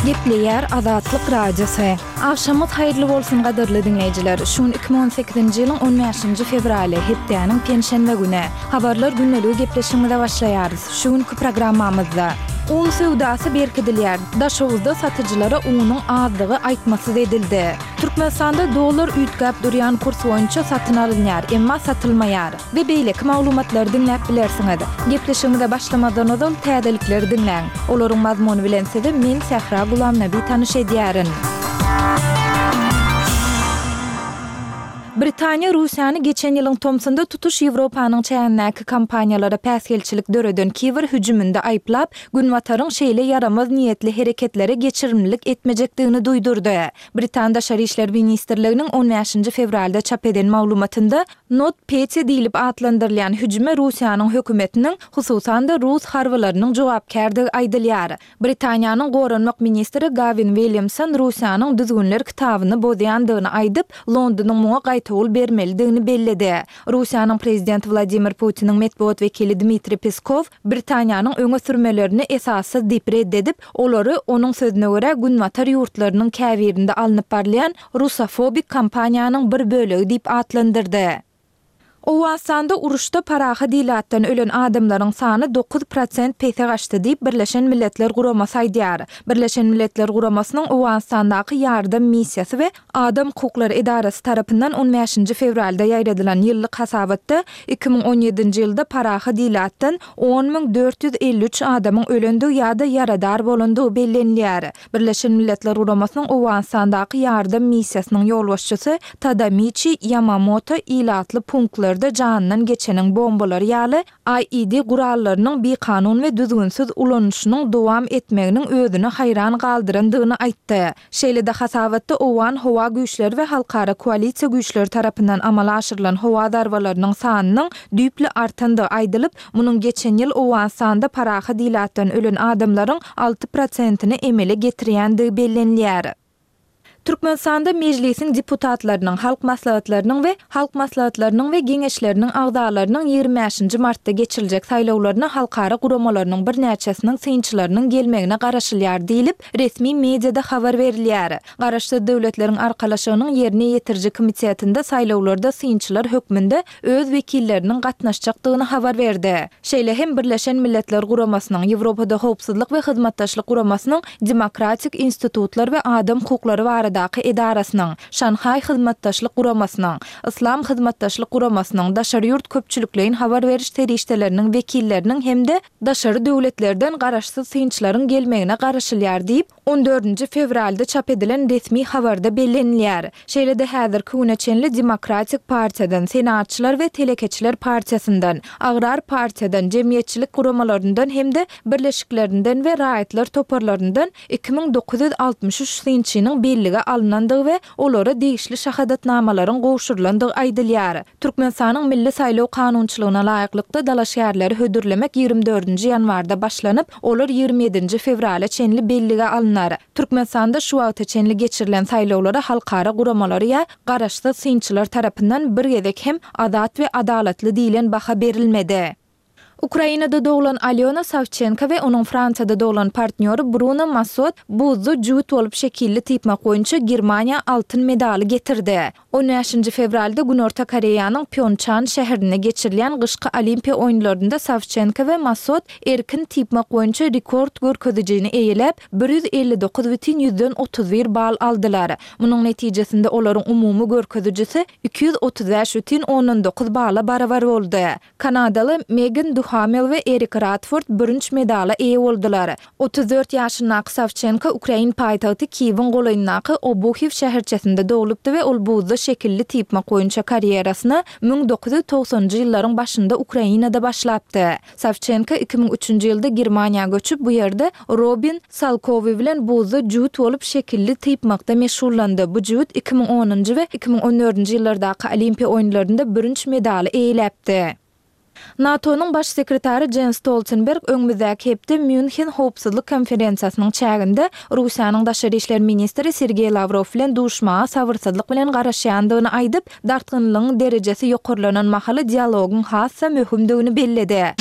Gepleýär Azatlyk Radiosy. Agşamyňyz haýyrly bolsun gadyrly diňleýjiler! Şu gün 2018-nji ýylyň on bäşinji fewraly, hepdäniň penşenbe güni. Habarlar gündeligi gepleşigimize başlaýarys. Şu günki programmamyzda. Un söwdasy berkidilýär. Daşoguzda satyjylara unuň azdygy aýtmasyz edildi. Türkmenistanda dollar üýtgäp durýan kurs boýunça satyn alynýar, emma satylmaýar. We beýleki maglumatlary diňläp bilersiňiz. Gepleşigimize başlamazdan ozal täzelikleri diňläň. Olaryň mazmuny bilen sizi men Sähra Gulamnabi tanyş edýärin. Britaniýa Russiýany geçen ýylyň tomsunda tutuş Ýewropanyň çägindäki kompaniýalara päsgelçilik döreden kiber hüjüminde aýyplap, Günbataryň şeýle ýaramaz niýetli hereketlere geçirimlilik etmejekdigini duýdurdy. Britan Daşary işler ministrliginiň on bäşinji fewralda çap eden maglumatynda NotPetya diýlip atlandyrylýan hüjüme Russiýanyň hökümetiniň, hususan-da rus harbylarynyň jogapkärdigi aýdylýar. Britaniýanyň goranmak ministri Gawin Williamson Russiýanyň düzgünler kitabyny bozýandygyny aýdyp, Londonyň muňa gaýtawul bermelidigini belledi. Russiýanyň prezidenti Wladimir Putiniň metbugat wekili Dmitriý Peskow Britaniýanyň öňe sürmelerini esassyz diýip red edip, olary, onuň sözüne görä, günbatar ýurtlarynyň käbirinde alnyp barylýan rusofobik kampaniýanyň bir bölegi diýip atlandyrdy. Owganystanda uruşda parahat ilatdan ölen adamlaryň sany 9% pese gaçdy diýip, Birleşen Milletler Guramasy aýdýar. Birleşen Milletler Guramasynyň Owganystandaky ýardam missiýasy we Adam hukuklary edarasy tarapyndan on bäşinji fewralda ýaýradylan ýyllyk hasabatda 2017-nji ýylda parahat ilatdan 10 453 adamyň ölendigi ýa-da ýaradar bolandygy bellenilýär. Birleşen Milletler Guramasynyň Owganystandaky ýardam missiýasynyň ýolbaşçysy Tadamiçi Ýamamoto ilatly punktlarda janyndan geçeniň bombalary ýaly IED gurallarynyň bikanun we düzgünsiz ulanylyşynyň dowam etmeginiň özüni haýran galdyrandygyny aýtdy. Şeýle-de hasabatda owgan howa güýçleri we halkara koalisiýa güýçleri tarapyndan amala aşyrylan howa zarbalarynyň sanynyň düýpli artandygy aýdylyp, munuň geçen ýyl Owganystanda parahat ilatdan ölen adamlaryň alty prosentini emele getirýändigi bellenilýär. Türkmenistanda Mejlisiň deputatlarynyň, Halk Maslahatlarynyň we Halk Maslahatlarynyň we Geňeşleriniň agzalarynyň ýigrimi bäşinji martda geçiriljek saýlawlaryna halkara guramalarynyň birnäçesiniň synçylarynyň gelmegine garaşylýar diýlip, resmi mediada habar berilýär. Garaşsyz Döwletleriň Arkalaşygynyň Ýerine ýetiriji komitetinde saýlawlarda synçylar hökmünde öz wekilleriniň gatnaşjakdygyny habar berdi. Şeýle hem Birleşen Milletler Guramasynyň, Ýewropada Howpsuzlyk we Hyzmatdaşlyk Guramasynyň Demokratik institutlar we adam hukuklary baradaky edarasynyň, Şanhaý Hyzmatdaşlyk Guramasynyň, Yslam Hyzmatdaşlyk Guramasynyň, daşary ýurt köpçülikleýin habar beriş serişdeleriniň wekilleriniň hem-de daşary döwletlerden garaşsyz synçylaryň gelmegine garaşylýar diýip, On dördünji fewralda çap edilen resmi habarda bellenilýär. Şeýle-de häzirki güne çenli Demokratik partiýadan, Senaatçylar we telekeçiler partiýasyndan, Agrar partiýadan, jemgyýetçilik guramalaryndan hem-de birleşiklerinden we raýatlar toparlaryndan 2963 synçynyň bellige alnandygy we olara degişli şahadatnamalaryň gowşurylandygy aýdylýar. Türkmenistanyň milli saýlaw kanunçylygyna laýyklykda dalaşgärleri hödürlemek ýigrimi dördünji ýanwarda başlanyp, olar ýigrimi ýedinji fewrala çenli bellige alnar. Türkmenistanda şu wagta çenli geçirilen saýlawlara halkara guramalary ýa garaşsyz synçylar tarapyndan bir gezek hem azat we adalatly diýlen baha berilmedi. Ukrainada doglan Alýona Sawçenko we onuň Fransiýada doglan partnýory Bruno Massot buzda jübüt bolup şekilli typmak boýunça Germaniýa altyn medaly getirdi. On bäşinji fewralda Günorta Koreýanyň Pýonçan şäherinde geçirilýän gyşky Olimpiýa oýunlarynda Sawçenko we Massot erkin typmak boýunça rekord görkezijini eýeläp, 159 bütin ýüzden 31 bal aldylar. Munuň netijesinde olaryň umumy görkezijisi 235 bütin ondan dokuz bala barabar boldy. Kanadaly Megan Duhamel we Erik Radford bürünç medala eýe boldular. 34 ýaşyndaky Sawçenko ukrain paýtagty Kiýewiň golaýyndaky Obuhiw şäherçesinde doglupdy we ol buzda şekilli typmak boýunça karýerasyna 1990-njy ýyllaryň başynda Ukrainada başlapdy. Sawçenko 2003-nji ýylda Germaniýa göçüp, bu ýerde Robin Salkowi bilen buzda jübüt bolup şekilli typmakda meşgullandy. Bu jübüt 2010-njy we 2014-nji ýyllardaky Olimpiýa oýunlarynda bürünç medaly eýeläpdi. NATO-nyň Baş sekretary Jens Stoltenberg öňümizdäki hepde Mýunhen howpsuzlyk konferensiýasynyň çäginde Russiýanyň daşary işler ministri Sergeý Lawrow bilen duşmaga sabyrsyzlyk bilen garaşýandygyny aýdyp, dartgynlygyň derejesi ýokarlanan mahaly dialogyň has-da möhümdigini belledi.